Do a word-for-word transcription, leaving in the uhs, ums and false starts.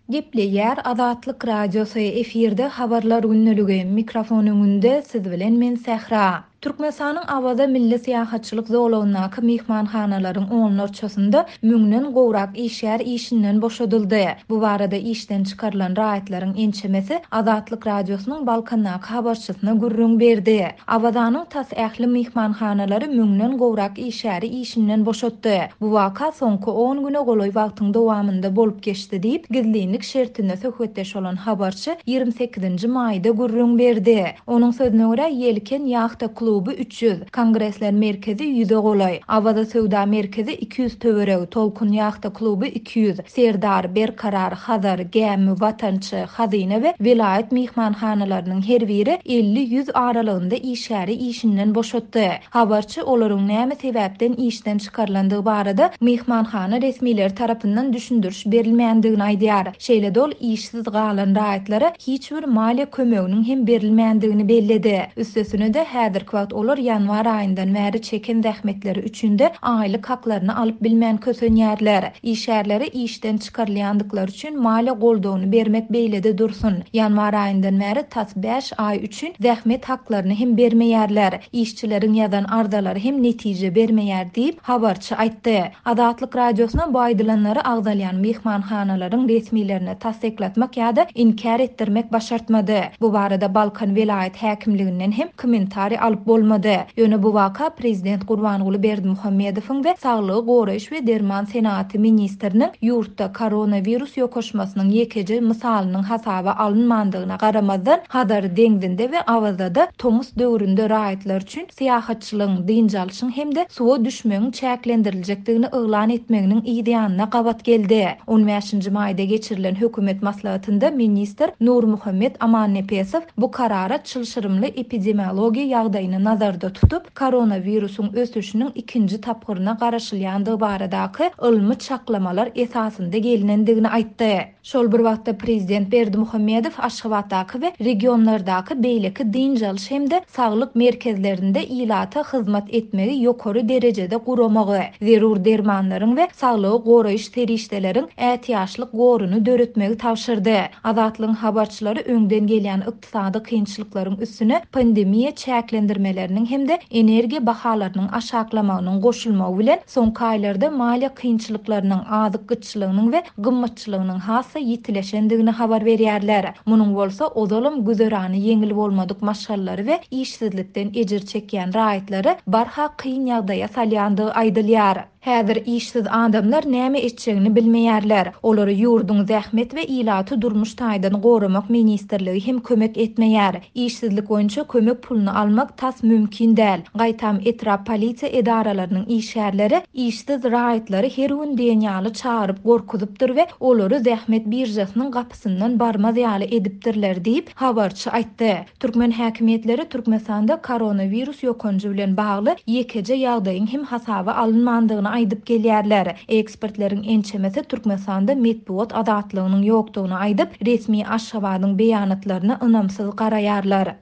Gepleýär Azatlyk Radiosy, efirde Habarlar gündeligi, mikrofon öňünde siz bilen men Sähra. Türkmenistanyň Awaza milli syýahatçylyk zolagyndaky myhmanhanalaryň onlarçasynda müňden gowrak işgär işinden boşadyldy. Bu barada işden çykarylan raýatlaryň ençemesi Azatlyk Radiosynyň Balkandaky habarçysyna gürrüň berdi. Awazanyň tas ähli myhmanhanalary müňden gowrak işgäri işinden boşatdy. Bu waka soňky on güne golaý wagtyň dowamynda bolup geçdi diýip, gizlinlik şertinde söhbetdeş bolan habarçy ýigrimi sekizinji maýda gürrüň berdi. Onuň sözüne görä, Ýelken ýahta kluby üç ýüz, Kongresler merkezi ýüze golaý, Awaza söwda merkezi iki ýüz töweregi, Tolkun ýahta kluby iki ýüz, Serdar, Berkarar, Hazar, Gämi, Watançy, Hazyna we welaýat myhmanhanalarynyň her biri elli ýüz aralygynda işgäri işinden boşatdy. Habarçy olaryň näme sebäpden işden çykarylandygy barada myhmanhana resmileri tarapyndan düşündiriş berilmändigini aýdýar. Şeýle-de ol işsiz galan raýatlara hiç bir maliýe kömeginiň hem berilmändigini belledi. Üstesine-de häzirki wagt olar ýanwar aýyndan bäri çeken zähmetleri üçin-de aýlyk haklaryny alyp bilmän kösenýärler. Işgärlere işden çykarylýandyklary üçin maliýe goldawyny bermek beýlede dursun. Ýanwar aýyndan bäri tas bäş aý üçin zähmet haklaryny hem bermeýärler. Işçileriň ýazan arzalary hem netije bermeýär diýip habarçy aýtdy. Azatlyk Radiosyna bu aýdylanlary agzalýan myhmanhanalaryň resmilerine tassyklatmak ýa-da inkär etdirmek başartmady. Bu barada Balkan welaýat häkimliginden hem kommentariý alyp bolmady. Ýöne bu waka Prezident Gurbanguly Berdimuhamedowyň we Saglygy goraýyş we derman senaty ministriniň ýurtda koronawirus ýokaşmasynyň ýekeje mysalynyň hasaba alynmandygyna garamazdan Hazar deňzinde we Awazada tomus döwründe raýatlar üçin syýahatçylygyň, dynç alyşyň hem-de suwa düşmegiň çäklendiriljekdigini yglan etmeginiň yz ýanyna gabat geldi. on bäşinji maýda geçirilen hökümet maslahatynda ministr Nurmuhammet Amannepesow bu karara çylşyrymly epidemiologiýa ýagdaýyny nazarda tutup, koronawirusyň ösüşiniň ikinji tapgyryna garaşylýandygy baradaky ylmy çaklamalar esasynda gelinendigini aýtdy. Şol bir wagtda Prezident Berdimuhamedow Aşgabatdaky we regionlardaky beýleki dynç alyş hem-de saglyk merkezlerinde ilata hyzmat etmegi ýokary derejede guramagy, zerur dermanlaryň we saglygy goraýyş serişdeleriň ätiýaçlyk goruny döretmegi tabşyrdy. Azatlygyň habarçylary öňden gelýän ykdysady kynçylyklaryň üstüne pandemiýa çäklendirmeleriniň hem-de energiýa bahalarynyň aşaklamagynyň goşulmagy bilen soňky aýlarda maliýe kynçylyklarynyň, azyk gytçylygynyň we gymmatçylygynyň has ýitileşendigini habar berýärler. Munuň bolsa ozalam güzerany ýeňil bolmadyk maşgalalary we işsizlikden ejir çekýän raýatlary barha kyn ýagdaýa salýandygy aýdylýar. Häzir işsiz adamlar näme etjegini bilmeýärler. Olary ýurduň zähmet we ilaty durmuş taýdan goramak ministrligi hem kömek etmeýär. Işsizlik boýunça kömek puluny almak tas mümkin däl. Gaýtam etrap polisiýa edaralarynyň işgärleri işsiz raýatlary her gün diýen ýaly çagyryp gorkuzypdyr we olary zähmet birjasynyň gapysyndan barmaz ýaly edipdirler diýip habarçy aýtdy. Türkmen häkimiýetleri Türkmenistanda koronawirus ýokanjy bilen bagly ýekeje ýagdaýyň hem hasaba alynmandygyny aýdyp gelýärler. Ekspertleriň ençemesi Türkmenistanda metbugat azatlygynyň ýokdugyny aýdyp, resmi Aşgabadyň beýanatlaryna ynamsyz garaýarlar.